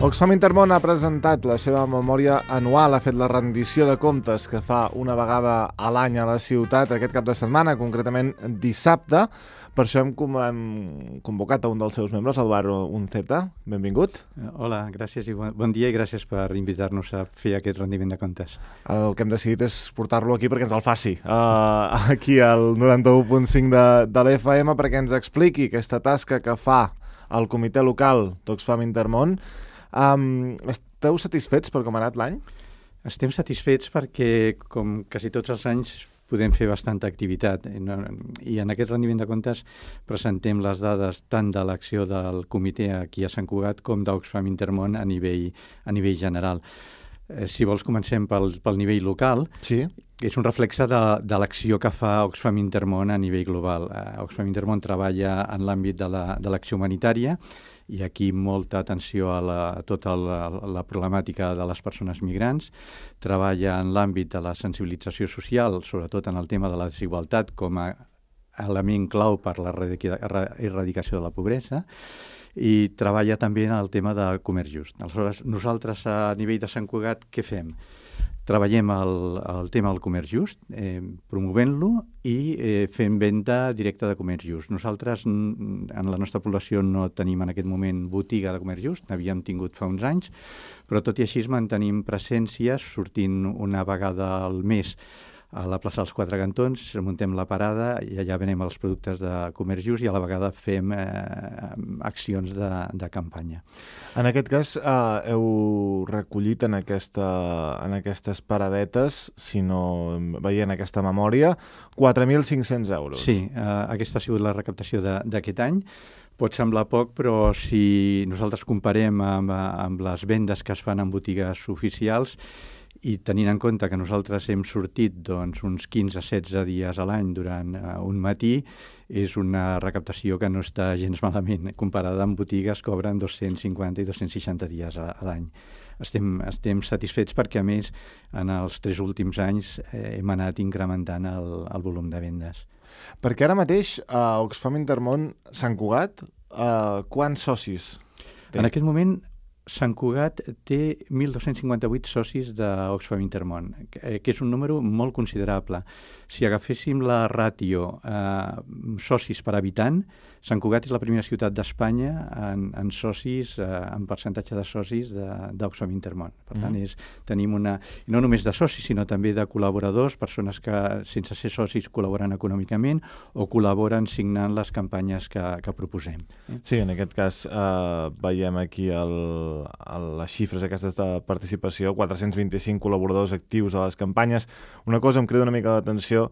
Oxfam Intermón ha presentat la seva memòria anual, ha fet la rendició de comptes que fa una vegada a l'any a la ciutat aquest cap de setmana, concretament dissabte. Per això hem convocat a un dels seus membres, Eduardo Unceta. Benvingut. Hola, gràcies i bon dia i gràcies per invitar-nos a fer aquest rendiment de comptes. El que hem decidit és portar-lo aquí perquè ens el faci, aquí al 91.5 de l'FM, perquè ens expliqui aquesta tasca que fa el comitè local d'Oxfam Intermón. Esteu satisfets per com ha anat l'any? Estem satisfets perquè, com quasi tots els anys, podem fer bastanta activitat. I en aquest rendiment de comptes presentem les dades tant de l'acció del comitè aquí a Sant Cugat com d'Oxfam Intermón a nivell general. Si vols, comencem pel nivell local. Sí. És un reflexe de l'acció que fa Oxfam Intermón a nivell global. Oxfam Intermón treballa en l'àmbit de l'acció humanitària i aquí molta atenció a tota la problemàtica de les persones migrants. Treballa en l'àmbit de la sensibilització social, sobretot en el tema de la desigualtat com a element clau per la erradicació de la pobresa, i treballa també en el tema de comerç just. Aleshores, nosaltres a nivell de Sant Cugat, què fem? Treballem el tema del comerç just, promovent-lo i fent venda directa de comerç just. Nosaltres, en la nostra població, no tenim en aquest moment botiga de comerç just, n'havíem tingut fa uns anys, però tot i així mantenim presències, sortint una vegada al mes a la plaça dels Quatre Cantons, muntem la parada i allà venem els productes de comerç just i a la vegada fem accions de campanya. En aquest cas, heu recollit en aquestes paradetes, si no veient aquesta memòria, 4.500 euros. Sí, aquesta ha sigut la recaptació d'aquest any. Pot semblar poc, però si nosaltres comparem amb les vendes que es fan en botigues oficials, i tenint en compte que nosaltres hem sortit uns 15-16 dies a l'any durant un matí, és una recaptació que no està gens malament. Comparada amb botigues que obren 250 i 260 dies a l'any. Estem satisfets perquè, a més, en els 3 últims anys hem anat incrementant el volum de vendes. Perquè ara mateix a Oxfam Intermón Sant Cugat, quants socis té? En aquest moment, Sant Cugat té 1.258 socis d'Oxfam Intermón, que és un número molt considerable. Si agaféssim la ràtio socis per habitant, Sant Cugat és la primera ciutat d'Espanya en socis, en percentatge de socis d'Oxfam Intermón. Per tant, tenim no només de socis, sinó també de col·laboradors, persones que, sense ser socis, col·laboren econòmicament o col·laboren signant les campanyes que proposem. Sí, en aquest cas veiem aquí les xifres aquestes de participació, 425 col·laboradors actius a les campanyes. Una cosa em crida una mica l'atenció,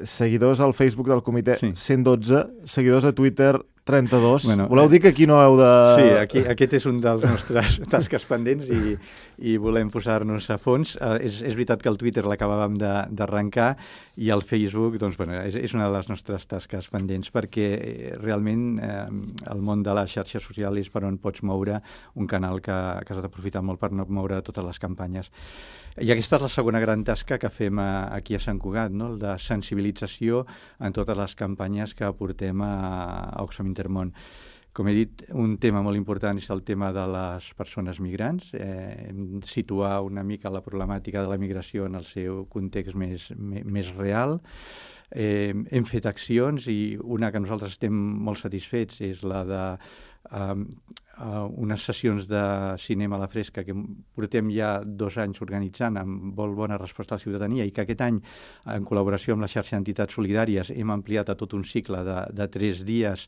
seguidors al Facebook del comitè, sí. 112, seguidors a Twitter, 32. Voleu dir que aquí no heu de... Sí, aquest és un dels nostres tasques pendents i volem posar-nos a fons. És veritat que el Twitter l'acabàvem d'arrencar i el Facebook és una de les nostres tasques pendents perquè realment el món de la xarxa social és per on pots moure un canal que has d'aprofitar molt per no moure totes les campanyes. I aquesta és la segona gran tasca que fem aquí a Sant Cugat, no? El de sensibilització en totes les campanyes que portem a Oxfam Intermón. Com he dit, un tema molt important és el tema de les persones migrants, situar una mica la problemàtica de la migració en el seu context més real. Hem fet accions i una que nosaltres estem molt satisfets és la de unes sessions de cinema a la fresca que portem ja 2 anys organitzant amb molt bona resposta a la ciutadania i que aquest any, en col·laboració amb la xarxa d'entitats solidàries, hem ampliat a tot un cicle de 3 dies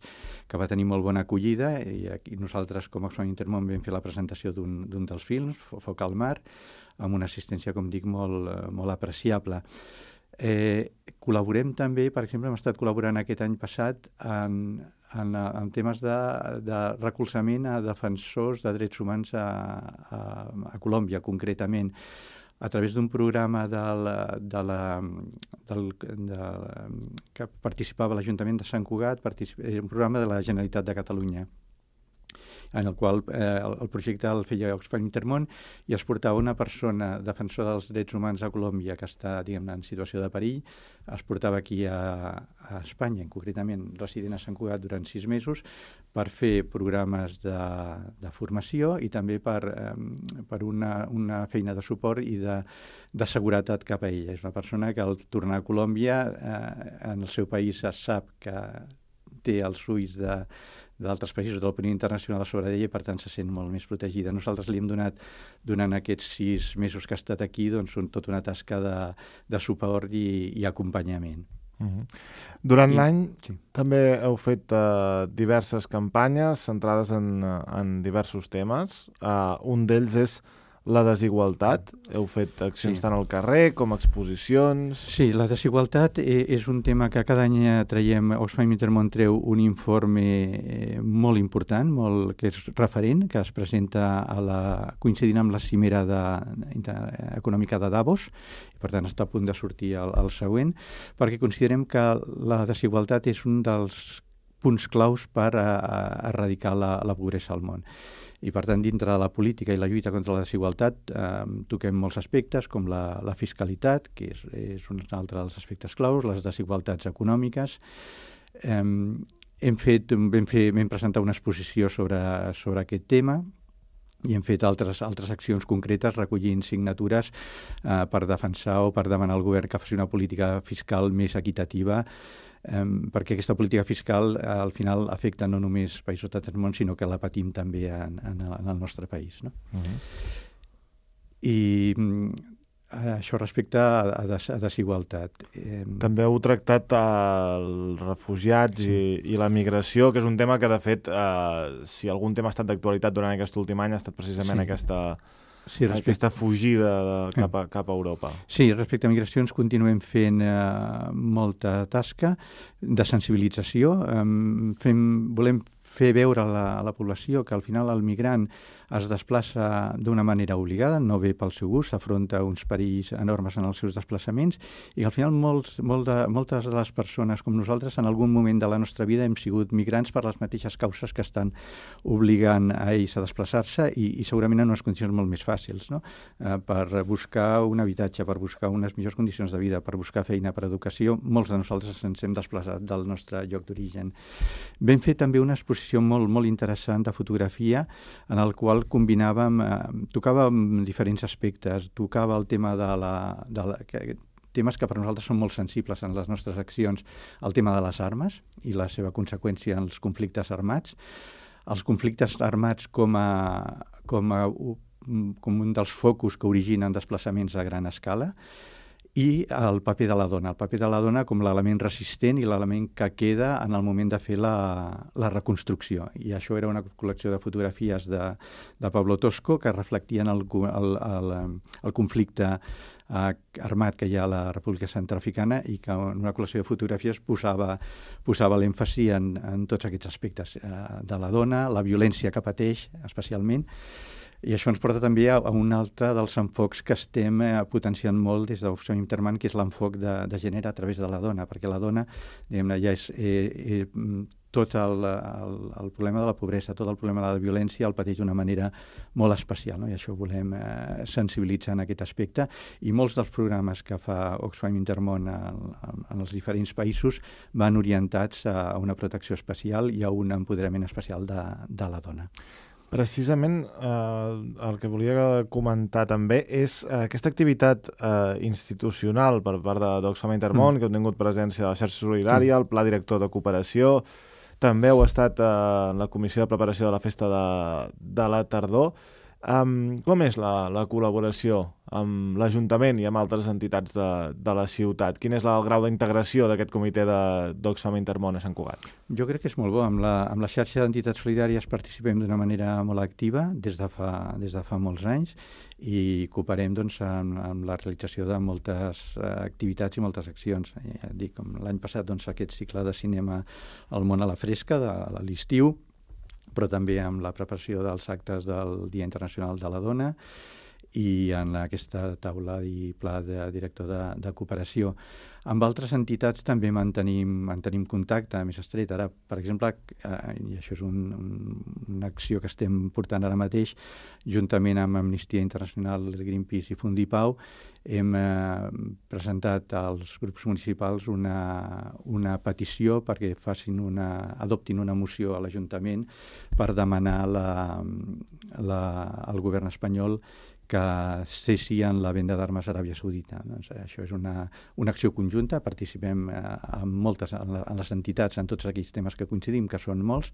que va tenir molt bona acollida i aquí nosaltres, com a Oxfam Intermón, vam fer la presentació d'un dels films, Foc al mar, amb una assistència, com dic, molt apreciable. Col·laborem també, per exemple, hem estat col·laborant aquest any passat en temes de recolzament a defensors de drets humans a Colòmbia, concretament, a través d'un programa que participava l'Ajuntament de Sant Cugat, un programa de la Generalitat de Catalunya. en el qual el projecte el feia Oxfam Intermón i es portava una persona defensora dels drets humans a Colòmbia que està, diguem-ne, en situació de perill, es portava aquí a Espanya, concretament resident a Sant Cugat durant 6 mesos, per fer programes de formació i també per una feina de suport i de seguretat cap a ella. És una persona que al tornar a Colòmbia, en el seu país es sap que té els ulls d'altres països de l'opinió internacional sobre ella i per tant se sent molt més protegida. Nosaltres li hem donat, durant aquests 6 mesos que ha estat aquí, doncs tota una tasca de suport i acompanyament. Durant l'any també heu fet diverses campanyes centrades en diversos temes. Un d'ells és la desigualtat. Heu fet accions tant al carrer com exposicions. Sí, la desigualtat és un tema que cada any traiem, Oxfam Intermón treu un informe molt important, que és referent, que es presenta coincidint amb la cimera econòmica de Davos, i per tant està a punt de sortir el següent, perquè considerem que la desigualtat és un dels punts claus per erradicar la pobresa al món. I, per tant, dintre de la política i la lluita contra la desigualtat toquem molts aspectes, com la fiscalitat, que és un altre dels aspectes claus, les desigualtats econòmiques. Vam presentar una exposició sobre aquest tema i hem fet altres accions concretes recollint signatures per defensar o per demanar al govern que faci una política fiscal més equitativa, perquè aquesta política fiscal al final afecta no només països de tot el món, sinó que la patim també en el nostre país. No? I això respecte a desigualtat. També heu tractat els refugiats i la migració, que és un tema que, de fet, si algun tema ha estat d'actualitat durant aquest últim any, ha estat precisament aquesta fugida cap a Europa. Sí, respecte a migracions continuem fent molta tasca de sensibilització. Volem fer veure a la població que al final el migrant es desplaça d'una manera obligada, no ve pel seu gust, s'afronta uns perills enormes en els seus desplaçaments i al final moltes de les persones com nosaltres en algun moment de la nostra vida hem sigut migrants per les mateixes causes que estan obligant a ells a desplaçar-se i segurament en unes condicions molt més fàcils, no? Per buscar un habitatge, per buscar unes millors condicions de vida, per buscar feina, per educació, molts de nosaltres ens hem desplaçat del nostre lloc d'origen. Vam fer també una exposició molt interessant de fotografia en el qual tocàvem diferents aspectes, tocava el tema temes que per nosaltres són molt sensibles en les nostres accions, el tema de les armes i la seva conseqüència en els conflictes armats, els conflictes armats com un dels focus que originen desplaçaments a gran escala, i el paper de la dona com l'element resistent i l'element que queda en el moment de fer la reconstrucció. I això era una col·lecció de fotografies de Pablo Tosco que reflectien el conflicte armat que hi ha a la República Centreafricana i que en una col·lecció de fotografies posava l'èmfasi en tots aquests aspectes de la dona, la violència que pateix especialment. I això ens porta també a un altre dels enfocs que estem potenciant molt des d'Oxfam Intermón, que és l'enfoc de gènere a través de la dona, perquè la dona, diguem-ne, ja és tot el problema de la pobresa, tot el problema de la violència el pateix d'una manera molt especial, no? I això volem sensibilitzar en aquest aspecte. I molts dels programes que fa Oxfam Intermón en els diferents països van orientats a una protecció especial i a un empoderament especial de la dona. Precisament el que volia comentar també és aquesta activitat institucional per part d'Oxfam Intermón, que heu tingut presència a la xarxa solidària, el Pla Director de Cooperació, també heu estat en la Comissió de Preparació de la Festa de la Tardor. Com és la col·laboració amb l'Ajuntament i amb altres entitats de la ciutat? Quin és el grau d'integració d'aquest comitè d'Oxfam Intermón a Sant Cugat? Jo crec que és molt bo. Amb la xarxa d'entitats solidàries participem d'una manera molt activa des de fa molts anys i cooperem amb la realització de moltes activitats i moltes accions. Com l'any passat aquest cicle de cinema El món a la fresca de l'estiu, però també amb la preparació dels actes del Dia Internacional de la Dona i en aquesta taula i pla de director de cooperació. Amb altres entitats també mantenim contacte més estret. Ara, per exemple, i això és una acció que estem portant ara mateix, juntament amb Amnistia Internacional, Greenpeace i Fundipau, hem presentat als grups municipals una petició perquè adoptin una moció a l'Ajuntament per demanar al govern espanyol que cessi en la venda d'armes a Aràbia Saudita. Doncs això és una acció conjunta, participem en les entitats, en tots aquells temes que coincidim, que són molts,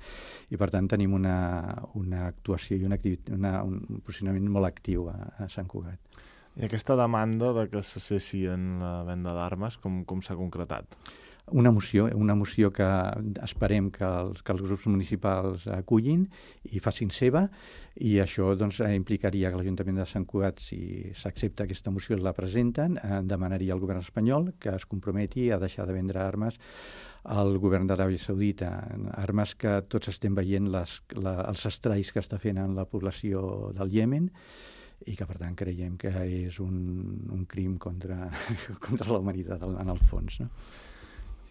i per tant tenim una actuació i un posicionament molt actiu a Sant Cugat. I aquesta demanda de que se cessi en la venda d'armes, com s'ha concretat? Una moció que esperem que els grups municipals acullin i facin seva, i això doncs, implicaria que l'Ajuntament de Sant Cugat, si s'accepta aquesta moció, la presenten, demanaria al govern espanyol que es comprometi a deixar de vendre armes al govern d'Aràbia Saudita, armes que tots estem veient els estralls que està fent en la població del Iemen, i que per tant creiem que és un crim contra la humanitat en el fons, no?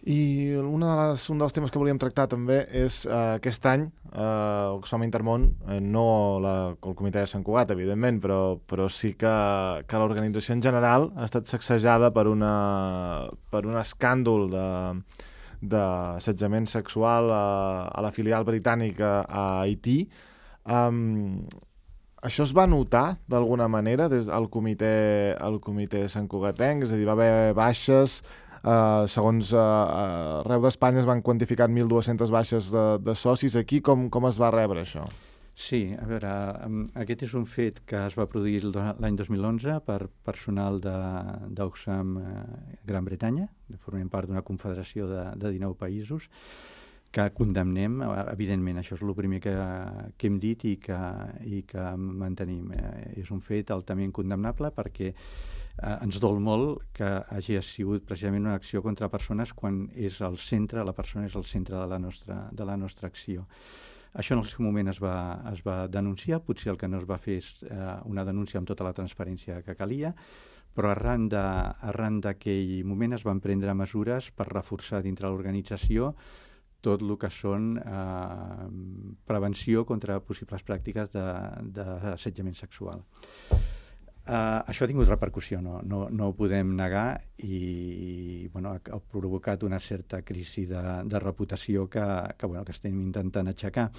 I un dels temes que volíem tractar també és aquest any Oxfam Intermón, no el Comitè de Sant Cugat, evidentment, però sí que l'organització en general ha estat sacsejada per un escàndol d'assetjament sexual a la filial britànica a Haití. Això es va notar d'alguna manera des del comitè santcugatenc? És a dir, va haver baixes. Segons arreu d'Espanya es van quantificar 1.200 baixes de socis. Aquí com es va rebre això? Sí, a veure, aquest és un fet que es va produir l'any 2011 per personal d'Oxfam Gran Bretanya, formem part d'una confederació de 19 països, que condemnem, evidentment, això és el primer que hem dit i que mantenim. És un fet altament condemnable perquè ens dol molt que hagi sigut precisament una acció contra persones quan la persona és el centre de la nostra acció. Això en el seu moment es va denunciar, potser el que no es va fer és una denúncia amb tota la transparència que calia, però arran d'aquell moment es van prendre mesures per reforçar dintre l'organització tot el que són prevenció contra possibles pràctiques d'assetjament sexual. Això ha tingut repercussió, no ho podem negar, i ha provocat una certa crisi de reputació que estem intentant aixecar.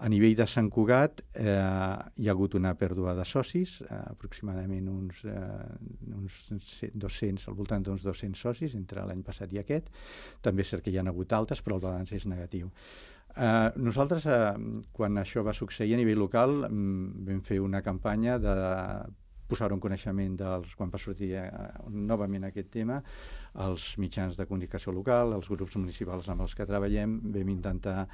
A nivell de Sant Cugat hi ha hagut una pèrdua de socis, aproximadament uns 200, al voltant d'uns 200 socis entre l'any passat i aquest. També és cert que hi ha hagut altes, però el balanç és negatiu. Nosaltres, quan això va succeir a nivell local, vam fer una campanya de posar-ho en coneixement quan va sortir novament aquest tema, als mitjans de comunicació local, als grups municipals amb els que treballem, vam intentar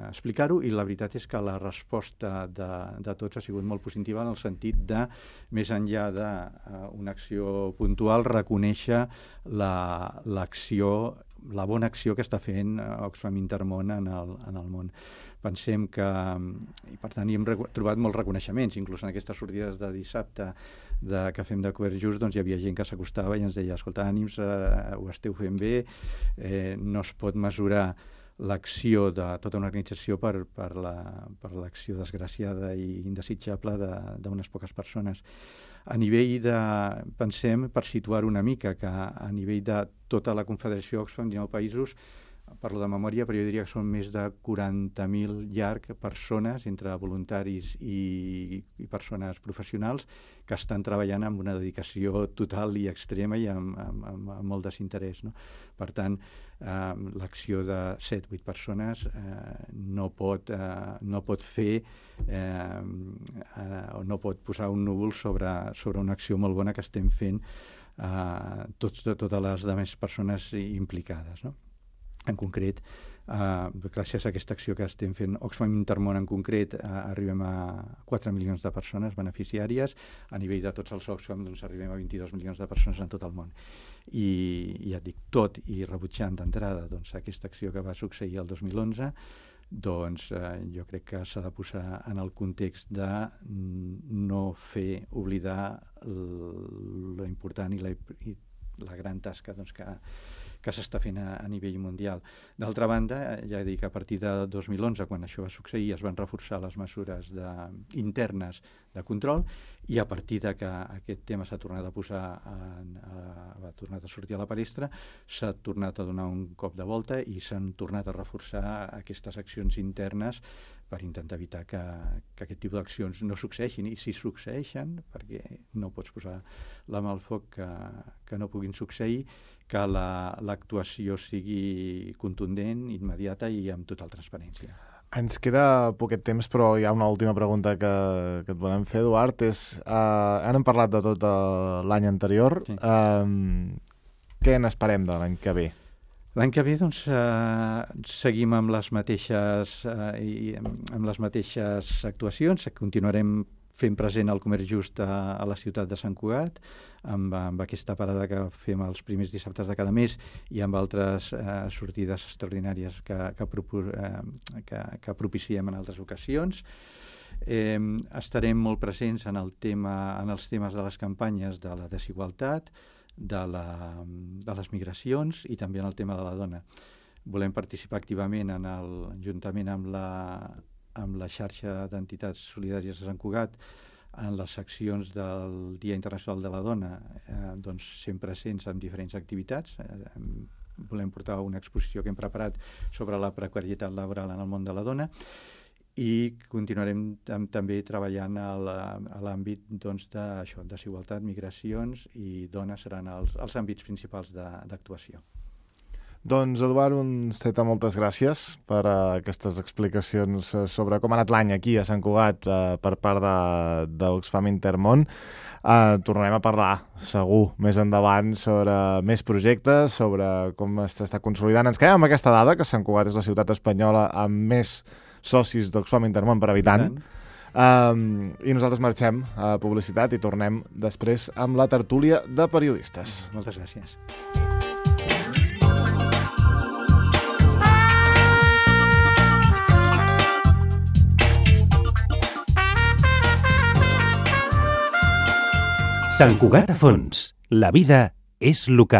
explicar-ho, i la veritat és que la resposta de tots ha sigut molt positiva, en el sentit de, més enllà d'una acció puntual, reconèixer la bona acció que està fent Oxfam Intermón en el món. Pensem que, i per tant hi hem trobat molts reconeixements, inclús en aquestes sortides de dissabte que fem de Cobert Just, doncs hi havia gent que s'acostava i ens deia: escolta, ànims, ho esteu fent bé, no es pot mesurar l'acció de tota una organització per l'acció desgraciada i indesitjable d'unes poques persones. A nivell pensem, per situar una mica, que a nivell de tota la Confederació Oxfam, 19 països, parlo de memòria, però jo diria que són més de 40.000 llarg persones, entre voluntaris i persones professionals, que estan treballant amb una dedicació total i extrema i amb molt desinterès, no? Per tant, l'acció de 7-8 persones no pot fer o no pot posar un núvol sobre una acció molt bona que estem fent totes les altres persones implicades, no? En concret, gràcies a aquesta acció que estem fent Oxfam Intermón en concret, arribem a 4 milions de persones beneficiàries. A nivell de tots els Oxfam arribem a 22 milions de persones en tot el món. I ja et dic, tot i rebutjant d'entrada aquesta acció que va succeir el 2011, doncs jo crec que s'ha de posar en el context de no fer oblidar lo important i la gran tasca doncs, que s'està fent a nivell mundial. D'altra banda, ja dic, a partir de 2011, quan això va succeir, es van reforçar les mesures internes de control, i a partir de que aquest tema s'ha tornat a posar, ha tornat a sortir a la palestra, s'ha tornat a donar un cop de volta i s'han tornat a reforçar aquestes accions internes per intentar evitar que aquest tipus d'accions no succeeixin. I si succeeixen, perquè no pots posar la mà al foc que no puguin succeir, que l'actuació sigui contundent, immediata i amb total transparència. Ens queda poquet temps, però hi ha una última pregunta que et volem fer, Eduard. Ara hem parlat de tot l'any anterior. Sí. Què n'esperem de l'any que ve? L'any que ve, doncs, seguim amb les mateixes actuacions. Continuarem fent present el comerç just a la ciutat de Sant Cugat, amb aquesta parada que fem els primers dissabtes de cada mes i amb altres sortides extraordinàries que propiciem en altres ocasions. Estarem molt presents en els temes de les campanyes de la desigualtat, de les migracions i també en el tema de la dona. Volem participar activament juntament amb la xarxa d'entitats solidàries de Sant Cugat en les seccions del Dia Internacional de la Dona, doncs sempre presents en diferents activitats. Volem portar una exposició que hem preparat sobre la precarietat laboral en el món de la dona i continuarem també treballant a l'àmbit doncs, de desigualtat, migracions i dones seran els àmbits principals d'actuació. Doncs, Eduard Unceta, moltes gràcies per aquestes explicacions sobre com ha anat l'any aquí a Sant Cugat per part d'Oxfam Intermón. Tornarem a parlar, segur, més endavant sobre més projectes, sobre com s'està consolidant. Ens quedem amb aquesta dada, que Sant Cugat és la ciutat espanyola amb més socis d'Oxfam Intermón per habitant. I nosaltres marxem a publicitat i tornem després amb la tertúlia de periodistes. Moltes gràcies. Sant Cugat a fons. La vida és local.